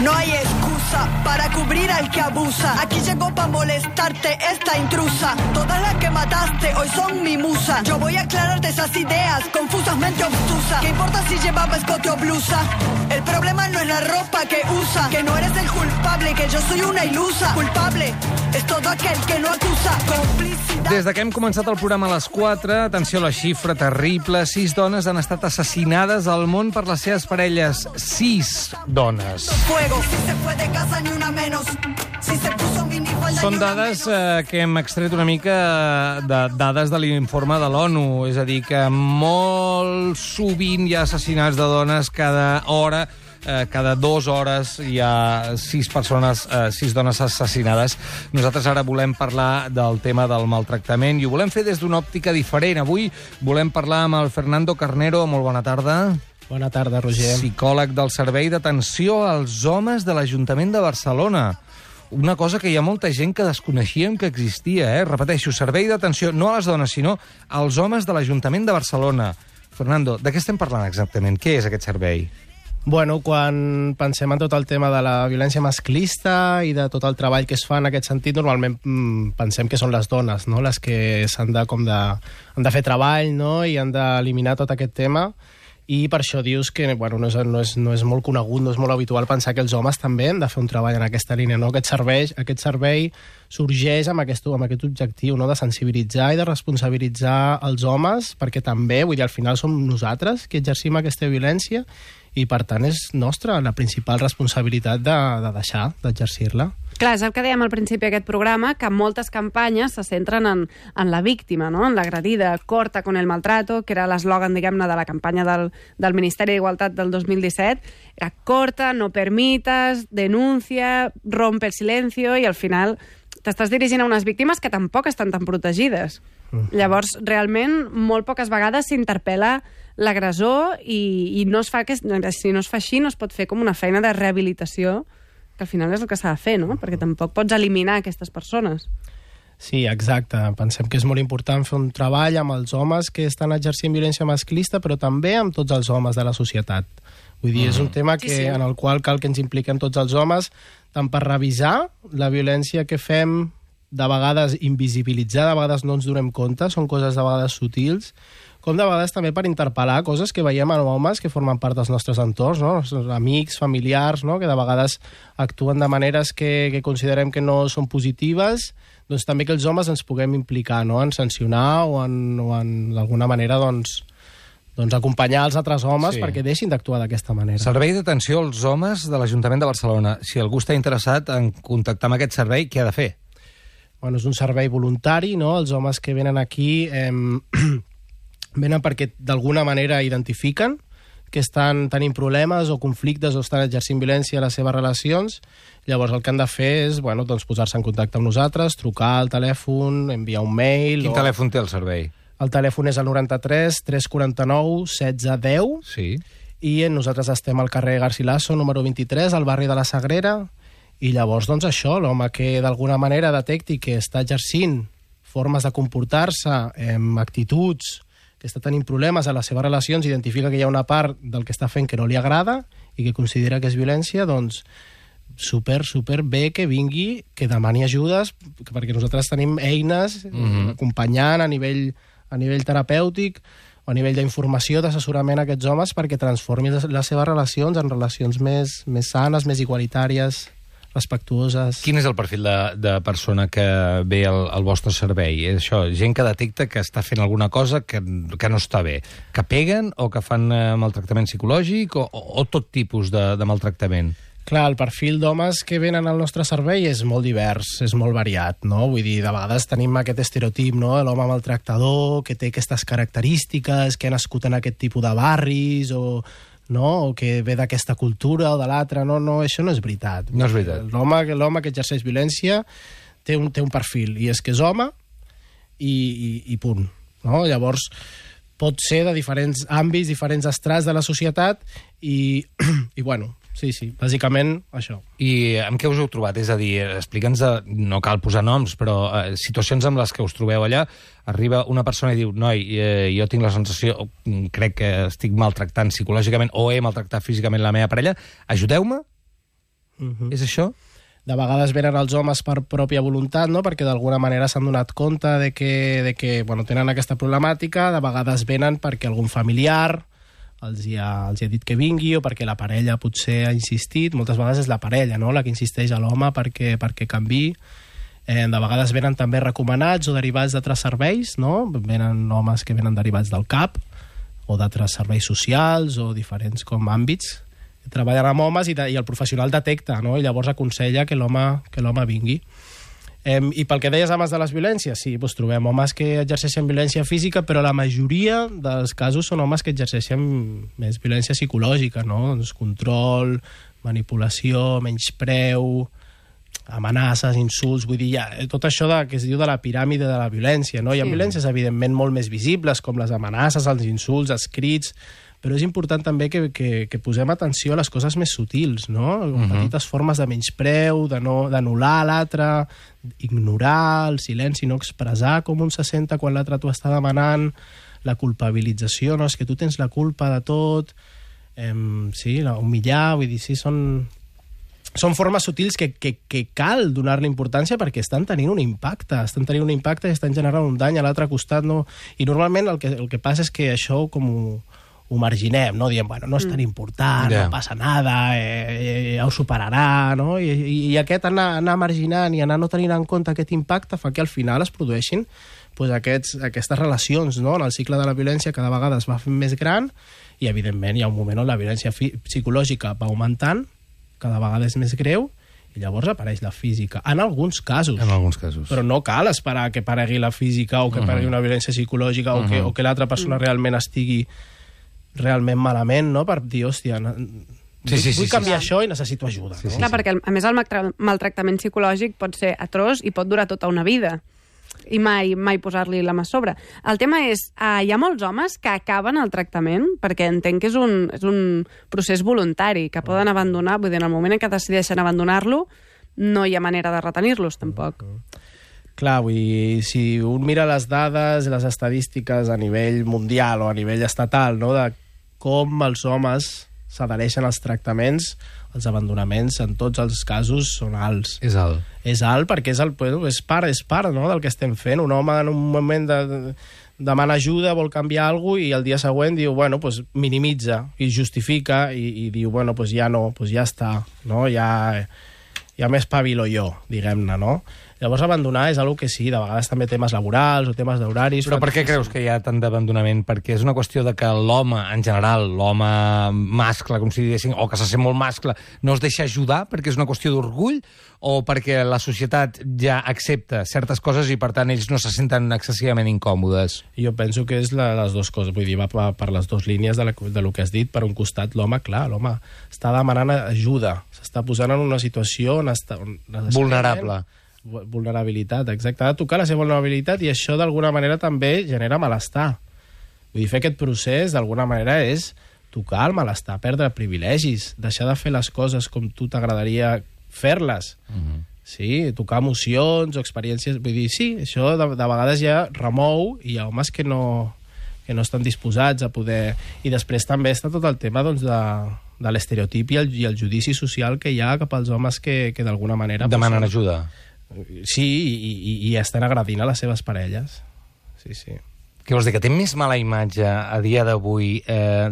No hay excusa para cubrir al que abusa. Aquí llegó para molestarte esta intrusa. Todas las que mataste hoy son mi musa. Yo voy a aclararte esas ideas confusamente obtusas. ¿Qué importa si llevaba escote o blusa? El problema no es la ropa que usa. Que no eres el culpable, que yo soy una ilusa. Culpable es todo aquel que no acusa. Complicidad. Des de que hem començat el programa a les 4, atenció a la xifra terrible, 6 dones han estat assassinades al món per les seves parelles. 6 dones. Fuego, si se fue de casa ni una menos. Si se puso minifalda. Són dades que hem extret una mica de dades de l'informe de l'ONU, és a dir, que molt sovint hi ha assassinats de dones cada hora. Cada 2 hores hi ha 6 persones, 6 dones assassinades. Nosaltres ara volem parlar del tema del maltractament i ho volem fer des d'una òptica diferent. Avui volem parlar amb el Fernando Carnero. Molt bona tarda. Bona tarda, Roger. Psicòleg del Servei d'Atenció als Homes de l'Ajuntament de Barcelona. Una cosa que hi ha molta gent que desconeixíem que existia, Repeteixo, Servei d'Atenció no a les dones, sinó als homes de l'Ajuntament de Barcelona. Fernando, de què estem parlant exactament? Què és aquest servei? Bueno, quan pensem en tot el tema de la violència masclista i de tot el treball que es fa en aquest sentit, normalment pensem que són les dones, no?, les que han de fer treball, no?, i han d'eliminar tot aquest tema. I per això dius que no és molt conegut, no és molt habitual pensar que els homes també han de fer un treball en aquesta línia, no? Aquest servei sorgeix amb aquest objectiu, no?, de sensibilitzar i de responsabilitzar els homes, perquè també, vull dir, al final som nosaltres que exercim aquesta violència i, per tant, és nostra la principal responsabilitat de deixar d'exercir-la. Clar, és el que dèiem al principi d'aquest programa, que moltes campanyes se centren en la víctima, no?, en l'agredida. Corta con el maltrato, que era l'eslògan, diguem-ne, de la campanya del Ministeri d'Igualtat del 2017. Era corta, no permitas, denuncia, rompe el silencio, i al final t'estàs dirigint a unes víctimes que tampoc estan tan protegides. Llavors, realment, molt poques vegades s'interpel·la l'agressor i no es fa si no es fa així, no es pot fer com una feina de rehabilitació, que al final és el que s'ha de fer, no? Perquè tampoc pots eliminar aquestes persones. Sí, exacte. Pensem que és molt important fer un treball amb els homes que estan exercint violència masclista, però també amb tots els homes de la societat. Vull dir, és un tema en el qual cal que ens impliquem tots els homes, tant per revisar la violència que fem, de vegades invisibilitzar, de vegades no ens donem compte, són coses de vegades sutils, com de vegades també per interpel·lar coses que veiem en homes que formen part dels nostres entorns, no?, els amics, familiars, no?, que de vegades actuen de maneres que considerem que no són positives, doncs també que els homes ens puguem implicar, no?, en sancionar o en d'alguna manera, doncs acompanyar els altres homes perquè deixin d'actuar d'aquesta manera. Servei d'Atenció als Homes de l'Ajuntament de Barcelona. Si algú està interessat en contactar amb aquest servei, què ha de fer? Bueno, és un servei voluntari, no? Els homes que venen aquí venen perquè d'alguna manera identifiquen que estan tenint problemes o conflictes o estan exercint violència a les seves relacions. Llavors el que han de fer és posar-se en contacte amb nosaltres, trucar al telèfon, enviar un mail... Quin telèfon té el servei? El telèfon és el 93 349 1610. Sí. I nosaltres estem al carrer Garcilaso, número 23, al barri de la Sagrera. I llavors, doncs això, l'home que d'alguna manera detecti que està exercint formes de comportar-se, actituds, que està tenint problemes a les seves relacions, identifica que hi ha una part del que està fent que no li agrada i que considera que és violència, doncs super bé que vingui, que demani ajudes, perquè nosaltres tenim eines acompanyant a nivell terapèutic o a nivell d'informació, d'assessorament a aquests homes perquè transformin les seves relacions en relacions més sanes, més igualitàries, respectuoses. Quin és el perfil de persona que ve al vostre servei? És això, gent que detecta que està fent alguna cosa que no està bé. Que peguen o que fan maltractament psicològic o tot tipus de maltractament? Clar, el perfil d'homes que venen al nostre servei és molt divers, és molt variat, no? Vull dir, de vegades tenim aquest estereotip, no?, l'home maltractador, que té aquestes característiques, que ha nascut en aquest tipus de barris o que ve d'aquesta cultura o de l'altra. No, això no és veritat. No és veritat. L'home que exerceix violència té un perfil, i és que és home i punt. No? Llavors, pot ser de diferents àmbits, diferents estrats de la societat i bueno, sí, bàsicament això. I amb què us heu trobat? És a dir, explica'ns, no cal posar noms, però situacions amb les que us trobeu allà, arriba una persona i diu, noi, jo tinc la sensació, crec que estic maltractant psicològicament o he maltractat físicament la meva parella, ajudeu-me? És això? De vegades venen els homes per pròpia voluntat, no? Perquè d'alguna manera s'han donat compte de que bueno, tenen aquesta problemàtica, de vegades venen perquè algun familiar els hi ha dit que vingui, o perquè la parella potser ha insistit. Moltes vegades és la parella, no?, la que insisteix a l'home perquè canviï. De vegades venen també recomanats o derivats d'altres serveis, no? Venen homes que venen derivats del CAP o d'altres serveis socials o diferents com àmbits. Treballen amb homes i el professional detecta, no? I llavors aconsella que l'home vingui. I pel que deies abans de les violències, sí, doncs trobem homes que exerceixen violència física, però la majoria dels casos són homes que exerceixen més violència psicològica, no? Doncs control, manipulació, menyspreu, amenaces, insults, vull dir, tot això que es diu de la piràmide de la violència, no? Hi ha violències, evidentment, molt més visibles, com les amenaces, els insults, els crits, però és important també que posem atenció a les coses més sutils, no? Petites formes de menyspreu, d'anul·lar l'altre, ignorar, el silenci, no expressar com un se senta quan l'altre t'ho està demanant, la culpabilització, no? És que tu tens la culpa de tot, sí, humillar, vull dir, sí, són formes sutils que cal donar-li importància perquè estan tenint un impacte, i estan generant un dany a l'altre costat, no? I normalment el que passa és que això com ho marginem, no? Diem, bueno, no és tan important, no passa nada, ja ho superarà, no? I aquest anar marginant i anar no tenint en compte aquest impacte fa que al final es produeixin aquestes relacions, no? En el cicle de la violència cada vegada es va fent més gran i, evidentment, hi ha un moment on la violència psicològica va augmentant, cada vegada és més greu, i llavors apareix la física. En alguns casos. Però no cal esperar que aparegui la física o que aparegui una violència psicològica o que l'altra persona realment estigui realment malament, no? Per dir, hòstia, vull canviar això i necessito ajuda. Clar, perquè a més el maltractament psicològic pot ser atroç i pot durar tota una vida i mai posar-li la mà a sobre. El tema és, hi ha molts homes que acaben el tractament, perquè entenc que és un procés voluntari, que poden abandonar, vull dir, en el moment en què decideixen abandonar-lo, no hi ha manera de retenir-los, tampoc. Clar, vull dir, si un mira les dades, les estadístiques a nivell mundial o a nivell estatal, no?, de com els homes s'adhereixen als tractaments, els abandonaments en tots els casos són alts. És alt. És alt perquè és part, no?, del que estem fent. Un home en un moment demana ajuda, vol canviar alguna cosa i el dia següent diu, bueno, pues minimitza i justifica i diu, bueno, pues ja no, pues ja està, no? Ja m'espavilo jo, diguem-ne, no? Llavors, abandonar és una que sí, de vegades també temes laborals o temes d'horaris... Però per què creus que hi ha tant d'abandonament? Perquè és una qüestió de que l'home, en general, l'home mascle, com si diguéssim, o que se sent molt mascle, no es deixa ajudar perquè és una qüestió d'orgull, o perquè la societat ja accepta certes coses i, per tant, ells no se senten excessivament incòmodes? Jo penso que és les dues coses, vull dir, va per les dues línies de lo que has dit. Per un costat, l'home està demanant ajuda, s'està posant en una situació on vulnerabilitat, exacte. Ha de tocar la seva vulnerabilitat i això d'alguna manera també genera malestar. Vull dir, fer aquest procés d'alguna manera és tocar el malestar, perdre privilegis, deixar de fer les coses com tu t'agradaria fer-les. Sí, tocar emocions o experiències. Vull dir, sí, això de vegades ja remou i hi ha homes que no estan disposats a poder... I després també està tot el tema doncs, de l'estereotip i el judici social que hi ha cap als homes que d'alguna manera... Demanen ajuda. Sí, i estan agredint a les seves parelles. Sí, sí. Què vols dir, que té més mala imatge a dia d'avui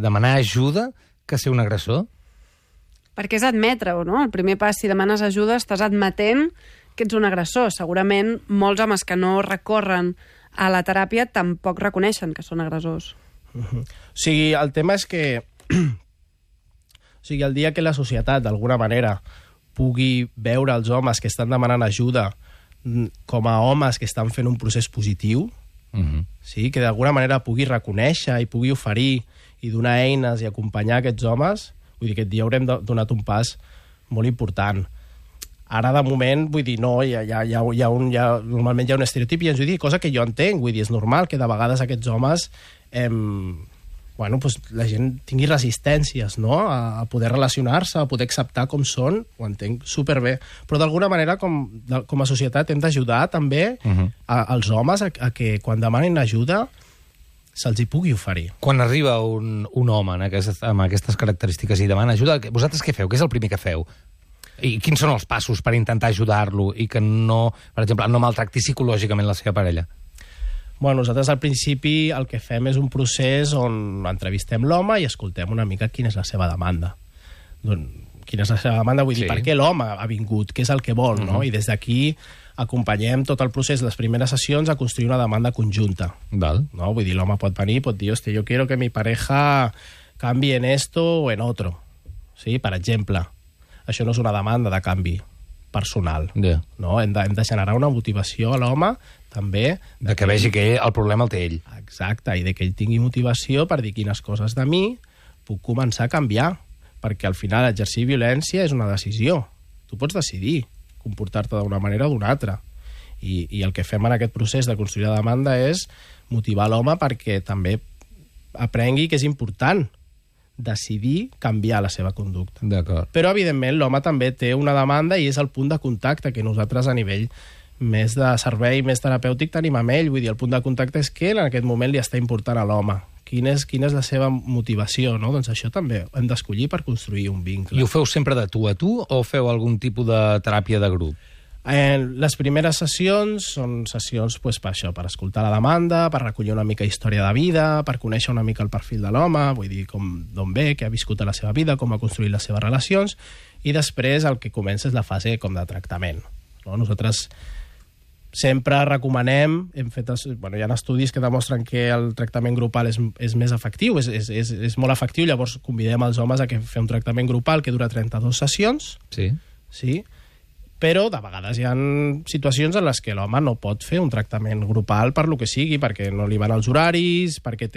demanar ajuda que ser un agressor? Perquè és admetre-ho, no? El primer pas, si demanes ajuda, estàs admetent que ets un agressor. Segurament molts homes que no recorren a la teràpia tampoc reconeixen que són agressors. O sigui, el tema és que... O sigui, el dia que la societat, d'alguna manera, pugui veure els homes que estan demanant ajuda com a homes que estan fent un procés positiu, sí? Que d'alguna manera pugui reconèixer i pugui oferir i donar eines i acompanyar aquests homes, vull dir, aquest dia haurem donat un pas molt important. Ara, de moment, vull dir, no, normalment hi ha un estereotip i ens ho dic, cosa que jo entenc, vull dir, és normal que de vegades aquests homes bueno, pues la gent tingui resistències, no?, a poder relacionar-se, a poder acceptar com són, ho entenc superbé. Però d'alguna manera, com a societat, hem d'ajudar també als homes a que quan demanin ajuda se'ls hi pugui oferir. Quan arriba un home amb aquestes característiques i demana ajuda, vosaltres què feu? Què és el primer que feu? I quins són els passos per intentar ajudar-lo i que no, per exemple, no maltracti psicològicament la seva parella? Bueno, nosaltres al principi el que fem és un procés on entrevistem l'home i escoltem una mica quina és la seva demanda. Quina és la seva demanda, vull dir, per què l'home ha vingut, què és el que vol, no? I des d'aquí acompanyem tot el procés, les primeres sessions, a construir una demanda conjunta. Val. No? Vull dir, l'home pot venir i pot dir, hòstia, jo quiero que mi pareja canvi en esto o en otro. Sí? Per exemple, això no és una demanda de canvi personal. Yeah. No? Hem de generar una motivació a l'home també... De que vegi que el problema el té ell. Exacte, i de que ell tingui motivació per dir quines coses de mi puc començar a canviar, perquè al final exercir violència és una decisió. Tu pots decidir comportar-te d'una manera o d'una altra. I el que fem en aquest procés de construir la demanda és motivar l'home perquè també aprengui que és important decidir canviar la seva conducta. D'acord. Però, evidentment, l'home també té una demanda i és el punt de contacte que nosaltres a nivell més de servei, més terapèutic tenim amb ell. Vull dir, el punt de contacte és que en aquest moment li està important a l'home. Quina és la seva motivació, no? Doncs això també hem d'escollir per construir un vincle. I ho feu sempre de tu a tu o feu algun tipus de teràpia de grup? Les primeres sessions són sessions per això, per escoltar la demanda, per recollir una mica història de vida, per conèixer una mica el perfil de l'home, vull dir, d'on ve, què ha viscut a la seva vida, com ha construït les seves relacions, i després el que comença és la fase com de tractament. No? Nosaltres sempre recomanem, hi ha estudis que demostren que el tractament grupal és més efectiu, és molt efectiu, llavors convidem els homes a fer un tractament grupal que dura 32 sessions, sí, però de vegades hi ha situacions en les que l'home no pot fer un tractament grupal per lo que sigui, perquè no li van els horaris, perquè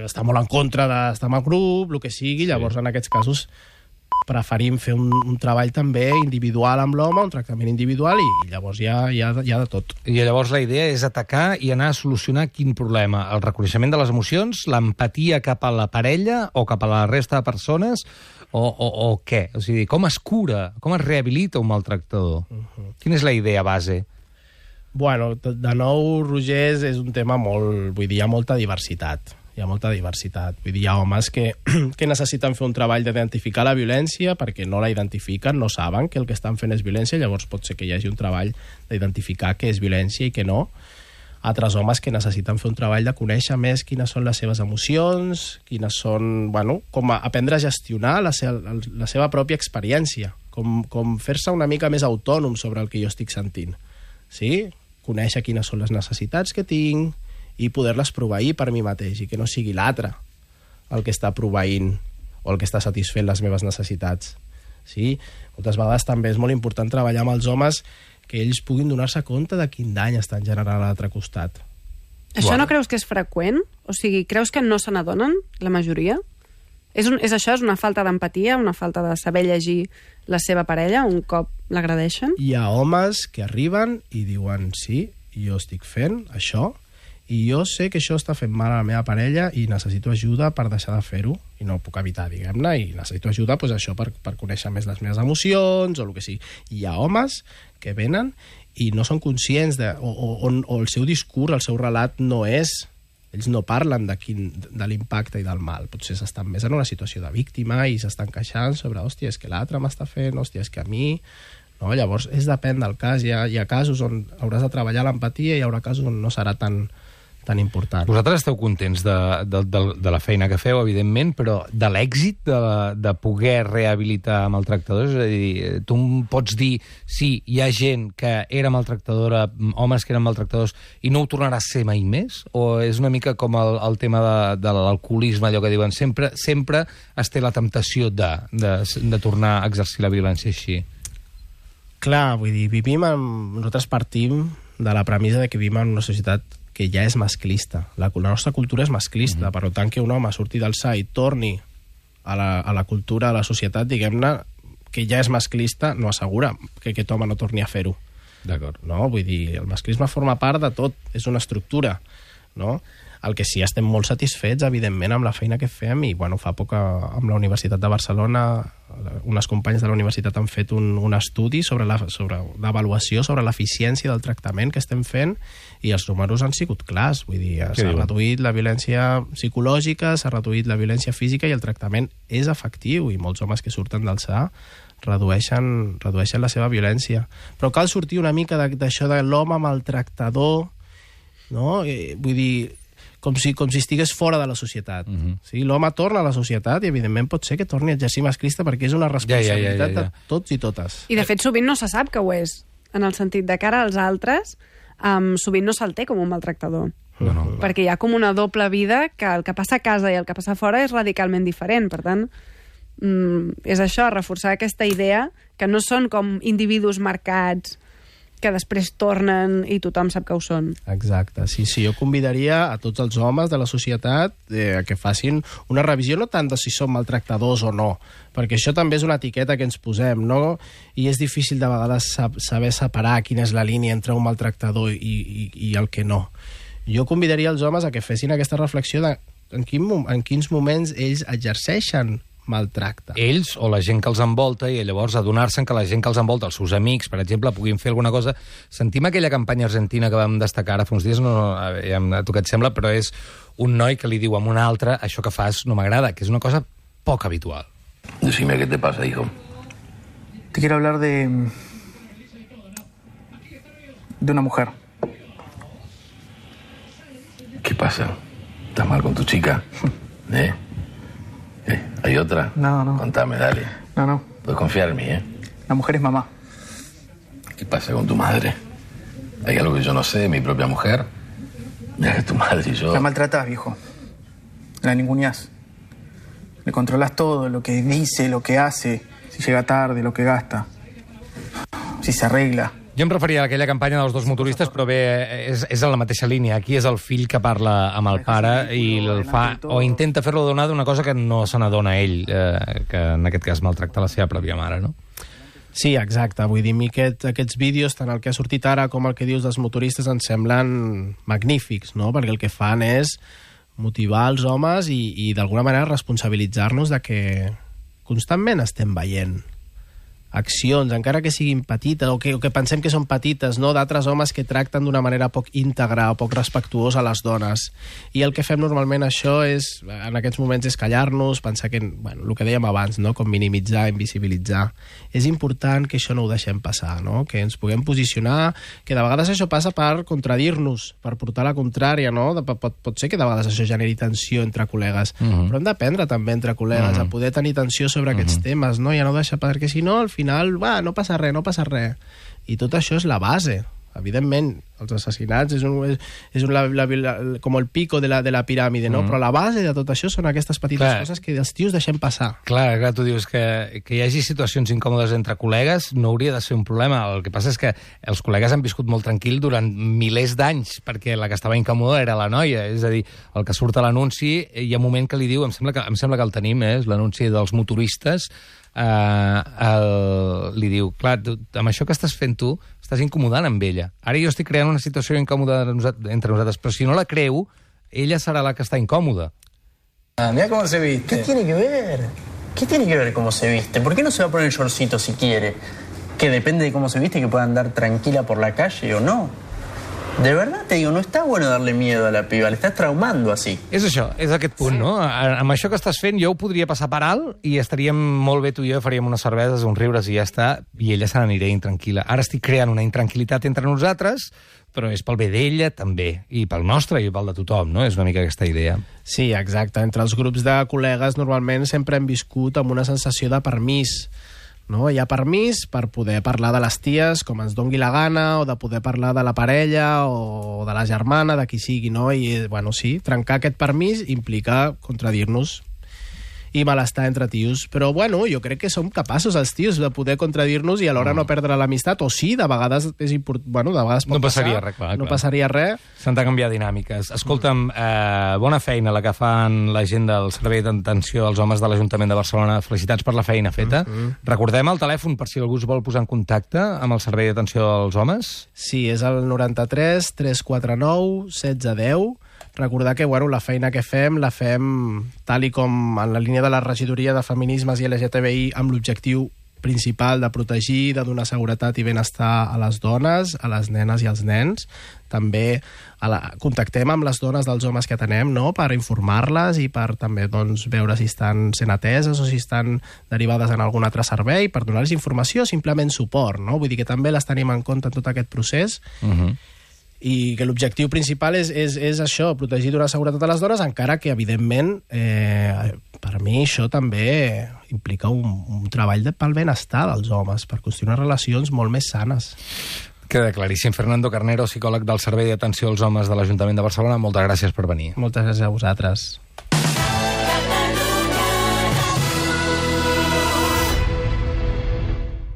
està molt en contra d'estar en el grup, el que sigui, llavors en aquests casos preferim fer un treball també individual amb l'home, un tractament individual, i llavors hi ha de tot. I llavors la idea és atacar i anar a solucionar quin problema? El reconeixement de les emocions, l'empatia cap a la parella o cap a la resta de persones, o què? O sigui, com es cura, com es rehabilita un maltractador? Quina és la idea base? Bueno, de nou, Roger, és un tema molt... Vull dir, hi ha molta diversitat. Vull dir, hi ha homes que necessiten fer un treball d'identificar la violència perquè no la identifiquen, no saben que el que estan fent és violència, llavors pot ser que hi hagi un treball d'identificar què és violència i què no. Altres homes que necessiten fer un treball de conèixer més quines són les seves emocions, quines són... com aprendre a gestionar la seva pròpia experiència, com fer-se una mica més autònom sobre el que jo estic sentint. Sí? Conèixer quines són les necessitats que tinc i poder-les proveir per mi mateix i que no sigui l'altre el que està proveint o el que està satisfent les meves necessitats. Sí? Moltes vegades també és molt important treballar amb els homes que ells puguin donar-se compte de quin dany estan generant a l'altre costat. Això no creus que és freqüent? O sigui, creus que no se n'adonen, la majoria? És això? És una falta d'empatia, una falta de saber llegir la seva parella un cop l'agredeixen? Hi ha homes que arriben i diuen sí, jo estic fent això i jo sé que això està fent mal a la meva parella i necessito ajuda per deixar de fer-ho i no ho puc evitar, diguem-ne, i necessito ajuda això per conèixer més les meves emocions o el que sigui. Hi ha homes que venen i no són conscients o el seu discurs, el seu relat no és... Ells no parlen de l'impacte i del mal. Potser s'estan més en una situació de víctima i s'estan queixant sobre, hòstia, és que l'altre m'està fent, hòstia, és que a mi... No? Llavors, depèn del cas. Hi ha casos on hauràs de treballar l'empatia i hi haurà casos on no serà tan important. Vosaltres esteu contents de la feina que feu, evidentment, però de l'èxit de poder rehabilitar maltractadors? És a dir, tu em pots dir, sí, hi ha gent que era maltractadora, homes que eren maltractadors, i no ho tornarà a ser mai més? O és una mica com el tema de l'alcoholisme, allò que diuen, sempre es té la temptació de tornar a exercir la violència així? Clar, vull dir, nosaltres partim de la premissa de que vivim en una societat que ja és masclista. La nostra cultura és masclista, per tant que un home surti del SA i torni a la cultura, a la societat, diguem-ne, que ja és masclista, no assegura que aquest home no torni a fer-ho. D'acord. No? Vull dir, el masclisme forma part de tot, és una estructura, no? El que sí, estem molt satisfets, evidentment, amb la feina que fem i, fa poc amb la Universitat de Barcelona, unes companyes de la universitat han fet un estudi d'avaluació sobre l'eficiència del tractament que estem fent i els números han sigut clars. Vull dir, s'ha reduït la violència psicològica, s'ha reduït la violència física i el tractament és efectiu i molts homes que surten del SA redueixen la seva violència. Però cal sortir una mica d'això de l'home maltractador, no? Vull dir, com si estigués fora de la societat. Sí? L'home torna a la societat i, evidentment, pot ser que torni a exercir masclista perquè és una responsabilitat de tots i totes. I, de fet, sovint no se sap que ho és, en el sentit de cara als altres, sovint no se'l té com un maltractador. Perquè hi ha com una doble vida que el que passa a casa i el que passa fora és radicalment diferent. Per tant, és això, reforçar aquesta idea que no són com individus marcats que després tornen i tothom sap que ho són. Exacte, sí, jo convidaria a tots els homes de la societat a que facin una revisió, no tant de si són maltractadors o no, perquè això també és una etiqueta que ens posem, no? I és difícil de vegades saber separar quina és la línia entre un maltractador i el que no. Jo convidaria els homes a que fessin aquesta reflexió de en quins moments ells exerceixen maltracte. Ells o la gent que els envolta, i llavors adonar-se que la gent que els envolta, els seus amics, per exemple, puguin fer alguna cosa. Sentim aquella campanya argentina que vam destacar ara fa uns dies, a tu què et sembla, però és un noi que li diu a un altre això que fas no m'agrada, que és una cosa poc habitual. Decime qué te pasa, hijo. Te quiero hablar de una mujer. ¿Qué pasa? ¿Estás mal con tu chica? ¿Hay otra? No. Contame, dale. No. Puedes confiar en mí, La mujer es mamá. ¿Qué pasa con tu madre? ¿Hay algo que yo no sé de mi propia mujer? Mira que tu madre y yo... La maltratás, viejo. La ninguneás. Le controlás todo, lo que dice, lo que hace, si llega tarde, lo que gasta, si se arregla. Jo em referia a aquella campanya dels dos motoristes, però bé, és en la mateixa línia. Aquí és el fill que parla amb el pare i el fa, o intenta fer-lo adonar d'una cosa que no se n'adona ell, que en aquest cas maltracta la seva pròpia mare, no? Sí, exacte. Vull dir, aquests vídeos, tant el que ha sortit ara com el que dius dels motoristes, ens semblen magnífics, no? Perquè el que fan és motivar els homes i d'alguna manera responsabilitzar-nos de que constantment estem veient accions, encara que siguin petites o que pensem que són petites, no? D'altres homes que tracten d'una manera poc íntegra o poc respectuosa a les dones. I el que fem normalment això és, en aquests moments, és callar-nos, pensar que, bueno, el que dèiem abans, no? Com minimitzar, invisibilitzar. És important que això no ho deixem passar, no? Que ens puguem posicionar, que de vegades això passa per contradir-nos, per portar la contrària, no? Pot ser que de vegades això generi tensió entre col·legues, però hem d'aprendre també entre col·legues a poder tenir tensió sobre aquests temes, no? Ja no deixar, perquè si no, al final, no passa res. I tot això és la base. Evidentment, els assassinats és com el pico de la piràmide, no? Però la base de tot això són aquestes petites coses que els tios deixem passar. Clar, tu dius que hi hagi situacions incòmodes entre col·legues no hauria de ser un problema. El que passa és que els col·legues han viscut molt tranquil durant milers d'anys, perquè la que estava incòmoda era la noia. És a dir, el que surt a l'anunci, hi ha un moment que li diu, em sembla que el tenim, és l'anunci dels motoristes, li diu, clar, amb això que estàs fent tu estàs incomodant amb ella. Ara jo estic creant una situació incòmoda entre nosaltres, però si no la creu, ella serà la que està incòmoda. Mira cómo se viste. ¿Qué tiene que ver? ¿Qué tiene que ver cómo se viste? ¿Por qué no se va a poner el shortcito si quiere? Que depende de cómo se viste, que pueda andar tranquila por la calle o no. De verdad te digo, no està bueno darle miedo a la piba, l'estàs traumando así. És això, és aquest punt, no? Amb això que estàs fent jo ho podria passar per alt i estaríem molt bé tu i jo, faríem unes cerveses, uns riures i ja està, i ella se n'anirà intranquil·la. Ara estic creant una intranquil·litat entre nosaltres, però és pel bé d'ella també, i pel nostre i pel de tothom, no? És una mica aquesta idea. Sí, exacte. Entre els grups de col·legues normalment sempre hem viscut amb una sensació de permís, no? Hi ha permís per poder parlar de les ties com ens dongui la gana, o de poder parlar de la parella o de la germana, de qui sigui, no? I, bueno, sí, trencar aquest permís implica contradir-nos i malestar entre tios. Però, bueno, jo crec que som capaços, els tios, de poder contradir-nos i alhora no perdre l'amistat, o sí, de vegades és important, bueno, de vegades pot passar. No passaria res, clar. No passaria res. S'han de canviar dinàmiques. Escolta'm, bona feina la que fan la gent del Servei d'Atenció als Homes de l'Ajuntament de Barcelona. Felicitats per la feina feta. Recordem el telèfon per si algú es vol posar en contacte amb el Servei d'Atenció als Homes. Sí, és el 93 349 1610. Recordar que, bueno, la feina que fem la fem tal i com en la línia de la regidoria de feminismes i LGTBI amb l'objectiu principal de protegir, de donar seguretat i benestar a les dones, a les nenes i als nens. També contactem amb les dones dels homes que atenem, no?, per informar-les i per també doncs, veure si estan sent ateses o si estan derivades en algun altre servei, per donar-los informació, simplement suport, no? Vull dir que també les tenim en compte en tot aquest procés. I que l'objectiu principal és això, protegir, donar seguretat a les dones, encara que, evidentment, per mi això també implica un treball pel benestar dels homes, per construir unes relacions molt més sanes. Queda claríssim. Fernando Carnero, psicòleg del Servei d'Atenció als Homes de l'Ajuntament de Barcelona, moltes gràcies per venir. Moltes gràcies a vosaltres.